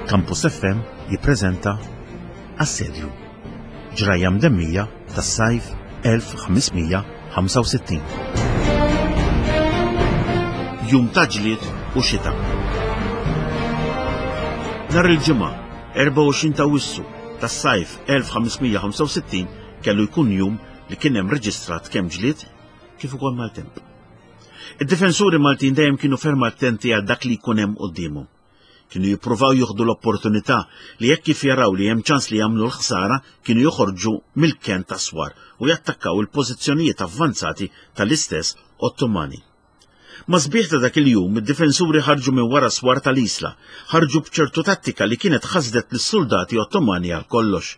Campus FM jippreżenta Assedju. Ġrajja mdemmija tas-sajf 1565. Jum ta' ġlied u xita. Nhar il-Ġimgħa, 24 ta' Awwissu tas-sajf 1565 kellu jkun jum li kien hemm reġistrat kemm ġlied kif ukoll maltemp. Id-difensuri Maltin dejjem kienu ferm attenti għal dak li jkun hemm quddiemhom. Kienu jippruvaw jieħdu l-opportunità li jekk kif jaraw li hemm ċans li jagħmlu l-ħsara kienu joħorġu mill-kenn tas-swar u jattakkaw il-pożizzjonijiet avvanzati tal-istess Ottomani. Ma' sbieħ ta' dak il-jum, id-difensuri ħarġu minn wara swar tal-Isla, ħarġu b'ċertu tattika li kienet ħasdet lis-suldati Ottomani għal kollox.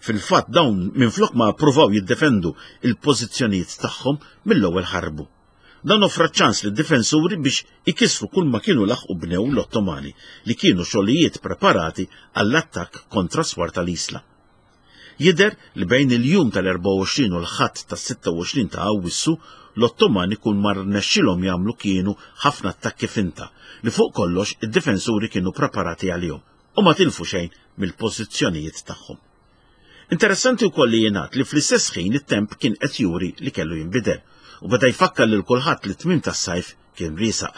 Fil-fatt dawn minflok ma ppruvaw jiddefendu il-pożizzjonijiet tagħhom mill-ewwel ħarbu. Dan offra ċans lid-difensuri biex ikissru kull ma kienu laħqu bnew l-Ottomani li kienu xogħlijiet preparati għall-attakk kontra swar tal-Isla. Jidher li bejn il-jum tal-24 u l-Ħadd tas-26 ta' Awwissu, l-Ottomani kull ma rnexxilhom jagħmlu kienu ħafna attakki finta li fuq kollox id-difensuri kienu preparati għalihom u ma tilfu xejn mill-pożizzjonijiet tagħhom. Interessanti wkoll li jingħad li fl-istess ħin it-temp kien qed juri li kellu jinbidel u beda jfakkar lil kulħadd li t-tmiem tas-sajf kien riesaq.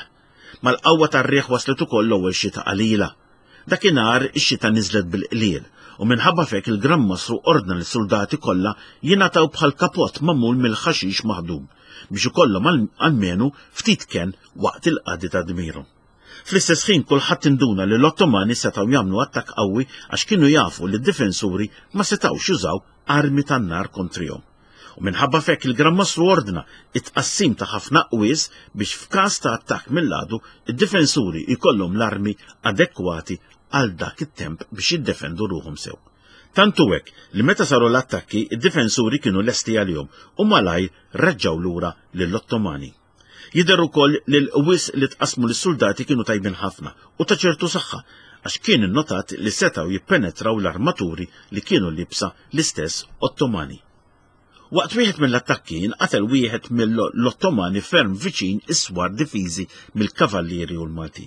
Mal-qawwa tar-riħ waslet ukoll l-ewwel xita qalila. Dakinhar ix-xita niżlet bil-qliel u minħabba f'hekk il-Gran Mastru ordna lis-suldati kollha jingħataw bħal kapott magħmul mill-ħaxix maħdum biex ikollhom almenu ftit kenn waqt il-qadi ta' dmirhom. Fl-istess ħin kulħadd induna li l-Ottomani setgħu jagħmlu attakk qawwi għax kienu jafu li d-difensuri ma setgħux jużaw armi tan-nar kontrihom. U minħabba f'hekk il-Gran Mastru ordna t-tqassim ta' ħafna qwies biex f'każ ta' attakk mill-għadu id-difensuri jkollhom l-armi adekwati għal dak it-temp biex jiddefendu ruħhom sew. Tant hu hekk li meta saru l-attakki id-difensuri kienu lesti għalihom u malajr reġgħu lura lill-Ottomani. Jidher ukoll li l-qwies li tqassmu lis-suldati kienu tajbin ħafna u ta' ċertu saħħa għax kien innotat li setgħu jippenetraw l-armaturi li kienu liebsa l-istess Ottomani. Waqt wieħed mill-attakki nqatel wieħed mill-Ottomani ferm viċin is-swar difiżi mill-Kavallieri u l-Maltin.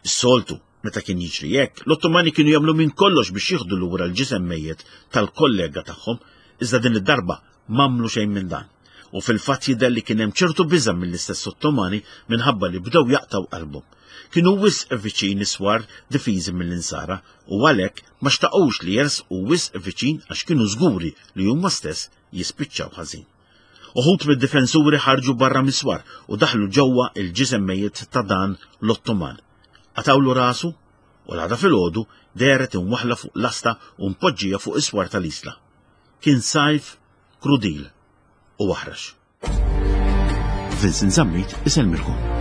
Is-soltu, meta kien jiġri hekk, l-Ottomani kienu jagħmlu minn kollox biex jieħdu lura l-ġisem mejjet tal-kollega tagħhom, iżda din id-darba M'għamlu xejn minn dan. U fil-fatt jidher li kien hemm ċertu biża' mill-istess Ottomani minħabba li bdew jaqtgħu qalbhom. Kienu wisq viċin is-swar difiżi mill-Insara u għalhekk ma xtaqux li jersqu wisq viċin għax kienu żguri li huma stess jispiċċaw ħażin. Uħud mid-difensuri ħarġu barra mis-swar u daħlu ġewwa il-ġisem mejjet ta' dan l-Ottoman. Qatgħulu rasu u l-għada filgħodu dehret imwaħħla fuq lasta u mpoġġija fuq is-swar tal-Isla. Kien sajf krudil u aħrax. Vincent Zammit isellmilkom.